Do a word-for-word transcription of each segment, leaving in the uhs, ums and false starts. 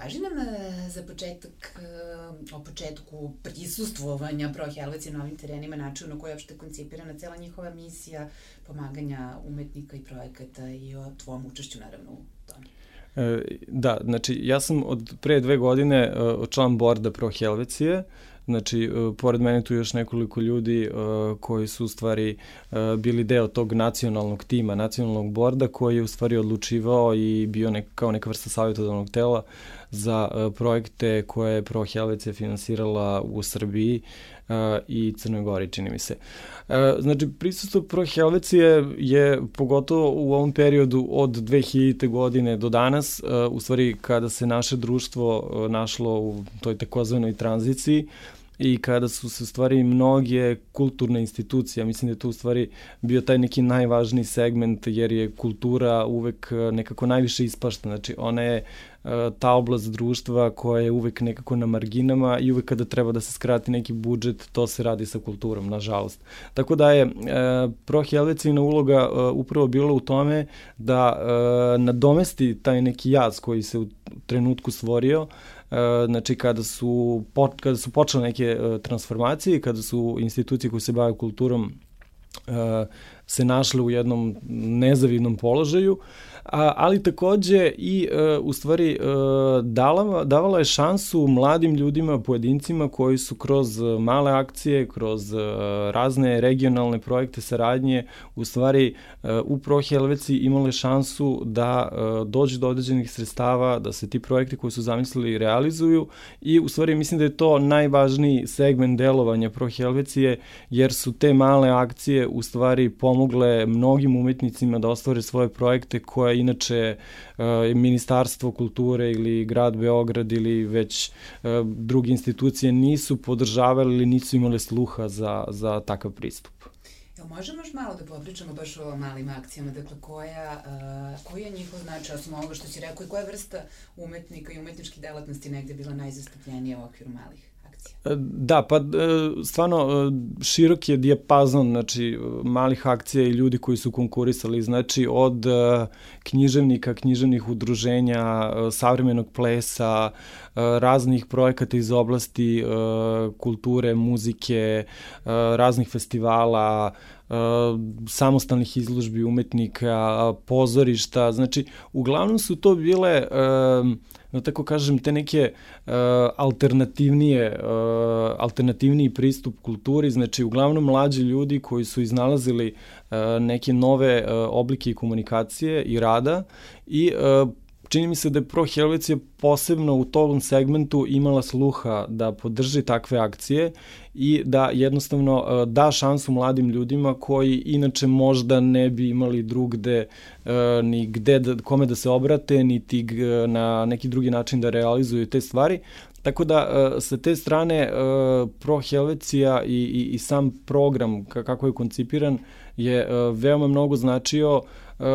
Kaži nam za početak o početku prisustvovanja Pro Helvecije na ovim terenima, načinu na koji je uopšte koncipirana cela njihova misija, pomaganja umetnika i projekata i o tvom učešću naravno u tome. Da, znači ja sam od pre dve godine član borda Pro Helvecije. Znači, pored mene tu još nekoliko ljudi uh, koji su u stvari uh, bili deo tog nacionalnog tima, nacionalnog borda koji je u stvari odlučivao i bio nek, kao neka vrsta savjetodavnog tela za uh, projekte koje je Pro Helvecija finansirala u Srbiji uh, i Crnoj Gori, čini mi se. Uh, znači, prisustvo Pro Helvecije je pogotovo u ovom periodu od dve hiljadite godine do danas, uh, u stvari kada se naše društvo uh, našlo u toj takozvanoj tranziciji, i kada su se u stvari mnoge kulturne institucije, mislim da je to u stvari bio taj neki najvažniji segment jer je kultura uvek nekako najviše ispašta, znači ona je ta oblast društva koja je uvek nekako na marginama i uvek kada treba da se skrati neki budžet, to se radi sa kulturom, nažalost. Tako da je Pro Helvecijina uloga upravo bila u tome da nadomesti taj neki jaz koji se u trenutku stvorio, znači kada su, kada su počele neke transformacije, kada su institucije koje se bave kulturom se našle u jednom nezavidnom položaju, ali takođe i u stvari davala, davala je šansu mladim ljudima, pojedincima koji su kroz male akcije, kroz razne regionalne projekte saradnje u stvari u Pro Helveciji imale šansu da dođu do određenih sredstava, da se ti projekti koji su zamislili realizuju i u stvari mislim da je to najvažniji segment delovanja Pro Helvecije jer su te male akcije u stvari pomogle mnogim umetnicima da ostvare svoje projekte koje inače uh, Ministarstvo kulture ili grad Beograd ili već uh, druge institucije nisu podržavali ili nisu imale sluha za, za takav pristup. Jel možemo još malo da popričamo baš o malim akcijama, dakle koja, uh, koji je njihov značaj, osim ovoga što si rekao, i koja vrsta umetnika i umetničkih delatnosti negde bila najzastupljenija u okviru malih? Da, pa stvarno širok je dijapazon, znači malih akcija i ljudi koji su konkurisali, znači od književnika, književnih udruženja, savremenog plesa, raznih projekata iz oblasti kulture, muzike, raznih festivala, samostalnih izložbi umetnika, pozorišta, znači uglavnom su to bile, no tako kažem, te neke uh, alternativnije, uh, alternativniji pristup kulturi, znači uglavnom mlađi ljudi koji su iznalazili uh, neke nove uh, oblike komunikacije i rada i uh, čini mi se da je Pro Helvecija posebno u tom segmentu imala sluha da podrži takve akcije i da jednostavno uh, da šansu mladim ljudima koji inače možda ne bi imali drugde uh, ni gde da, kome da se obrate, niti uh, na neki drugi način da realizuju te stvari. Tako da uh, sa te strane uh, Pro Helvecija i, i, i sam program kako je koncipiran je uh, veoma mnogo značio. Uh,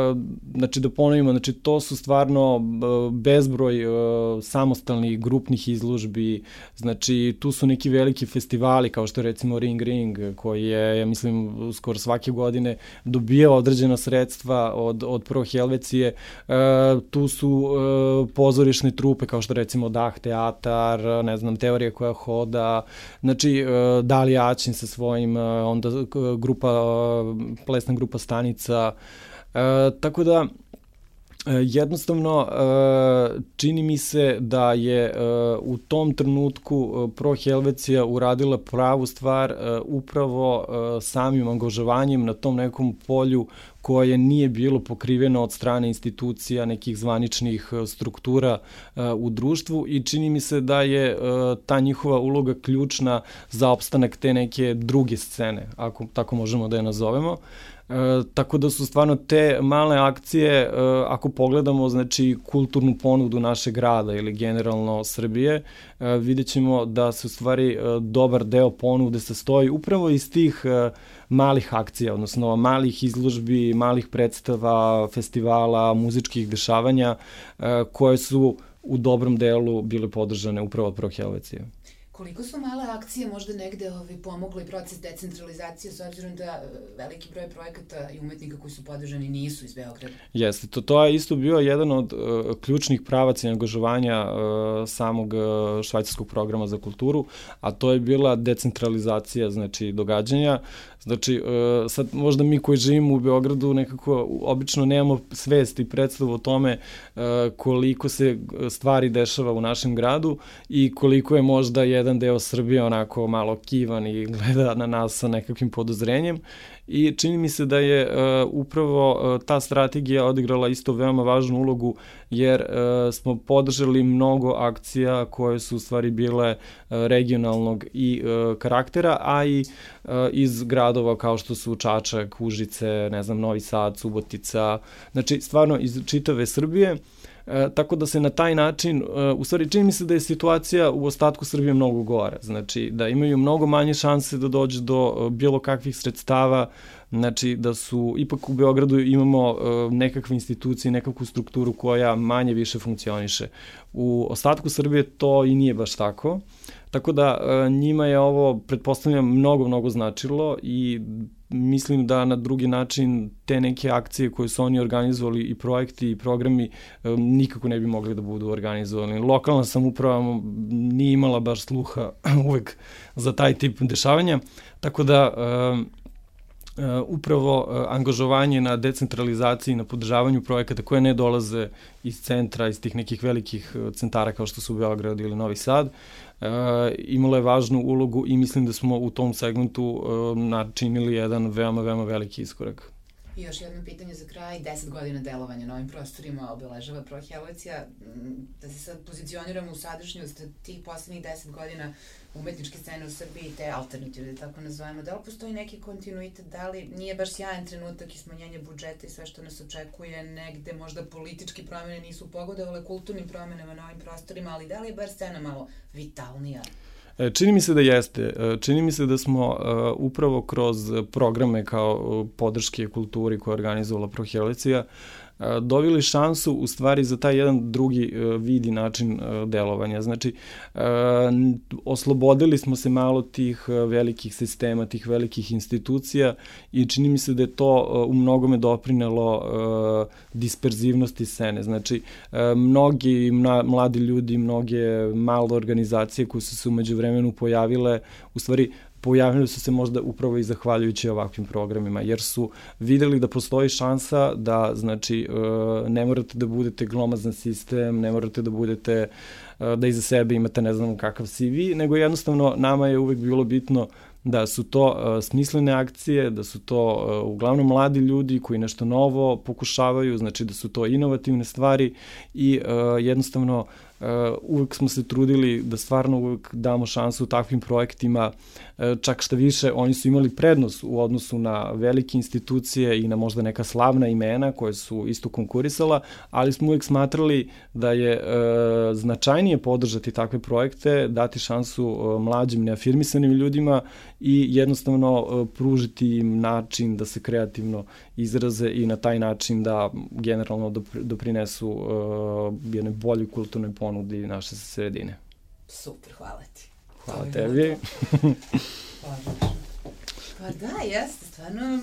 znači da ponovimo, znači to su stvarno uh, bezbroj uh, samostalnih grupnih izložbi, znači tu su neki veliki festivali kao što je recimo Ring Ring koji je, ja mislim, skoro svake godine dobijao određena sredstva od, od Pro Helvecije, uh, tu su uh, pozorišne trupe kao što recimo Dah teatar, ne znam, Teorija koja hoda, znači uh, Dalija Aćin sa svojim, uh, onda uh, grupa, uh, plesna grupa Stanica. E, tako da jednostavno uh, čini mi se da je uh, u tom trenutku uh, Pro Helvecija uradila pravu stvar uh, upravo uh, samim angažovanjem na tom nekom polju koje nije bilo pokriveno od strane institucija, nekih zvaničnih struktura uh, u društvu i čini mi se da je uh, ta njihova uloga ključna za opstanak te neke druge scene, ako tako možemo da je nazovemo. E, tako da su stvarno te male akcije, e, ako pogledamo znači kulturnu ponudu našeg grada ili generalno Srbije, e, vidjet ćemo da se u stvari e, dobar deo ponude sastoji upravo iz tih e, malih akcija, odnosno malih izložbi, malih predstava, festivala, muzičkih dešavanja e, koje su u dobrom delu bile podržane upravo od Pro Helvecije. Koliko su male akcije možda negde ovaj, pomogli proces decentralizacije s obzirom da veliki broj projekata i umetnika koji su podržani nisu iz Beograda? Jeste, to, to je isto bio jedan od uh, ključnih pravaca i angažovanja uh, samog uh, švajcarskog programa za kulturu, a to je bila decentralizacija, znači, događanja. Znači, uh, sad možda mi koji živimo u Beogradu nekako obično nemamo svest i predstavu o tome uh, koliko se stvari dešava u našem gradu i koliko je možda jedan deo Srbije onako malo kivan i gleda na nas sa nekakvim podozrenjem. I čini mi se da je uh, upravo uh, ta strategija odigrala isto veoma važnu ulogu, jer uh, smo podržali mnogo akcija koje su u stvari bile uh, regionalnog i uh, karaktera, a i uh, iz gradova kao što su Čačak, Užice, ne znam, Novi Sad, Subotica, znači stvarno iz čitave Srbije. E, tako da se na taj način, e, u stvari čini mi se da je situacija u ostatku Srbije mnogo gora, znači da imaju mnogo manje šanse da dođe do e, bilo kakvih sredstava, znači da su, ipak u Beogradu imamo e, nekakve institucije, nekakvu strukturu koja manje više funkcioniše. U ostatku Srbije to i nije baš tako, tako da e, njima je ovo, pretpostavljam, mnogo, mnogo značilo i mislim da na drugi način te neke akcije koje su oni organizovali i projekti i programi nikako ne bi mogli da budu organizovani. Lokalna samouprava nije imala baš sluha uvek za taj tip dešavanja, tako da Uh, upravo uh, angažovanje na decentralizaciji, na podržavanju projekata koje ne dolaze iz centra, iz tih nekih velikih uh, centara kao što su Beograd ili Novi Sad, uh, imalo je važnu ulogu i mislim da smo u tom segmentu uh, načinili jedan veoma, veoma veliki iskorak. I još jedno pitanje za kraj, deset godina delovanja na ovim prostorima obeležava Prohelvecija. Da se sad pozicioniramo u sadašnjost tih poslednjih deset godina umetničke scene u Srbiji, te alternative, da tako nazovemo, da li postoji neki kontinuitet, da li nije baš sjajan trenutak i smanjenje budžeta i sve što nas očekuje, negde možda politički promene nisu pogodovale kulturnim promenama na ovim prostorima, ali da li je bar scena malo vitalnija? Čini mi se da jeste. Čini mi se da smo uh, upravo kroz programe kao podrške kulturi koje je organizovala Prohelvecija uh, dobili šansu u stvari za taj jedan drugi uh, vid i način uh, delovanja. Znači, uh, oslobodili smo se malo tih uh, velikih sistema, tih velikih institucija i čini mi se da je to uh, u mnogome doprinelo uh, disperzivnosti scene. Znači, uh, mnogi mna, mladi ljudi, mnoge male organizacije koje su se umeđu vremenu pojavile, u stvari pojavili su se možda upravo i zahvaljujući ovakvim programima, jer su videli da postoji šansa da, znači, ne morate da budete glomazan sistem, ne morate da budete, da iza sebe imate ne znam kakav C V, nego jednostavno nama je uvek bilo bitno da su to uh, smislene akcije, da su to uh, uglavnom mladi ljudi koji nešto novo pokušavaju, znači da su to inovativne stvari i uh, jednostavno uh, uvek smo se trudili da stvarno uvek damo šansu takvim projektima, uh, čak šta više oni su imali prednost u odnosu na velike institucije i na možda neka slavna imena koje su isto konkurisala, ali smo uvek smatrali da je uh, značajnije podržati takve projekte, dati šansu uh, mlađim neafirmisanim ljudima i jednostavno uh, pružiti im način da se kreativno izraze i na taj način da generalno doprinesu uh, jedne bolje kulturnoj ponudi naše sredine. Super, hvala ti. Hvala tebi. Pa da, jeste, stvarno